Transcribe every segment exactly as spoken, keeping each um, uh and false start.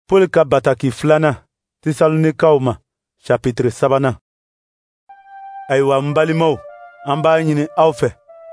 Pɔli ka bataki filanan Tesalonikaw ma, chapitre sabanan. Ayiwa, n balimaw, an b'a ɲini aw fɛ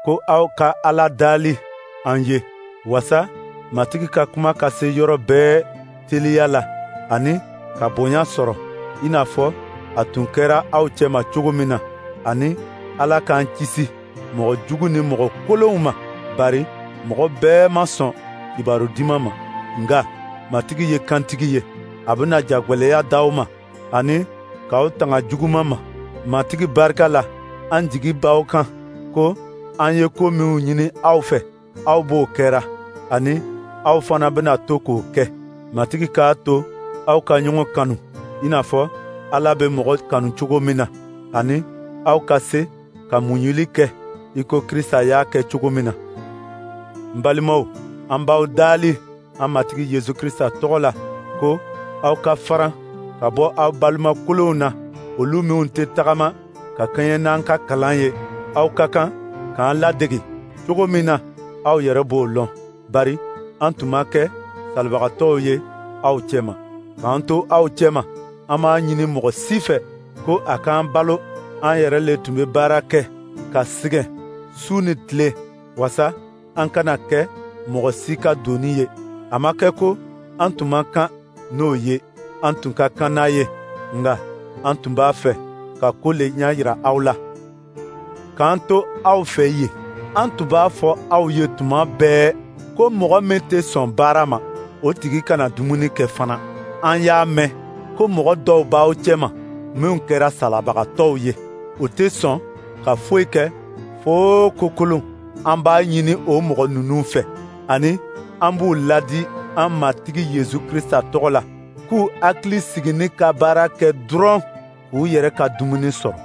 ko aw ka Ala dali an ye, waasa Matigi ka kuma ka se yɔrɔ bɛɛ teliya la ani ka bonya sɔrɔ, i n'a fɔ a tun kɛra aw cɛma cogo min na, ani Ala k'an kisi mɔgɔ jugu ni mɔgɔ kolonw ma, bari mɔgɔ bɛɛ ma sɔn Kibaru Duman ma. Nka Matigi ye kantigi ye, a bɛna jagwɛlɛya d'aw ma ani k'aw tanga juguman ma. Matigi barika la, an jigi b'aw kan ko an ye ko minw ɲini aw fɛ, aw b'o kɛra, ani aw fana bɛna to k'o kɛ. Matigi k'a to aw ka ɲɔgɔn kanu i n'a fɔ Ala bɛ mɔgɔ kanu cogo min na, ani aw ka se ka muɲuli kɛ i ko Krisita y'a kɛ cogo min na. N balimaw, an b'aw dali an Matigi Yesu Krisita tɔgɔ la ko aw ka faran ka bɔ aw balima kolonw na, olu minw tɛ tagama ka kɛɲɛ n'an ka kalan ye. Aw ka kan k'an ladege cogo min na, aw yɛrɛ b'o lɔn, bari an tun ma kɛ salibagatɔw ye aw cɛma. K'an to aw cɛma, an m'a ɲini mɔgɔ si fɛ ko a k'an balo. An yɛrɛ le tun bɛ baara kɛ ka sɛgɛn su ni tile, waasa an kana kɛ mɔgɔ si ka doni ye. A ma kɛ ko an tun man kan n'o ye, an tun ka kan n'a ye, nka an tun b'a fɛ ka ko le ɲɛ yira aw la. K'an to aw fɛ yen, an tun b'a fɔ aw ye tuma bɛɛ ko mɔgɔ min tɛ sɔn baara ma, o tigi kana dumuni kɛ fana. An y'a mɛn ko mɔgɔ dɔw b'aw cɛma minw kɛra salabagatɔw ye. U tɛ sɔn ka foyi kɛ fo ko kolon. An b'a ɲini o mɔgɔ ninnu fɛ, ani an b'u ladi an Matigi Yesu Krisita tɔgɔ la, k'u hakili sigi ni ka baara kɛ dɔrɔn k'u yɛrɛ ka dumuni sɔrɔ.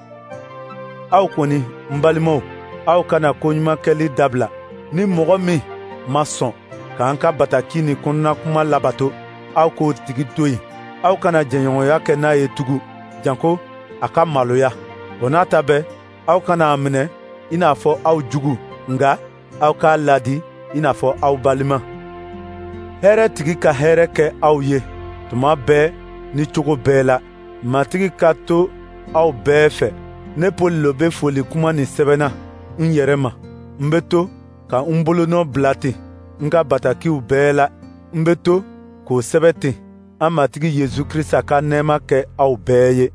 Aw kɔni, n balimaw, aw kana koɲuman kɛli dabila. Ni mɔgɔ min ma sɔn k'an ka bataki ni kɔnɔnakuma labato, aw k'o tigi to yen. Aw kana jɛɲɔgɔnya kɛ n'a ye tugun, janko a ka maloya. O n'a ta bɛɛ, aw kana a minɛ i n'a fɔ aw jugu, nka aw k'a ladi i n'a fɔ aw balima. Hɛrɛ tigi ka hɛrɛ kɛ aw ye tuma bɛɛ ni cogo bɛɛ la. Matigi ka to aw bɛɛ fɛ. Ne Pɔli lo bɛ foli kuma nin sɛbɛnna n yɛrɛ ma. N bɛ to ka n bolonɔ bila ten n ka batakiw bɛɛ la. N bɛ to k'o sɛbɛn ten. An Matigi Yesu Krisita ka nɛɛma kɛ aw bɛɛ ye.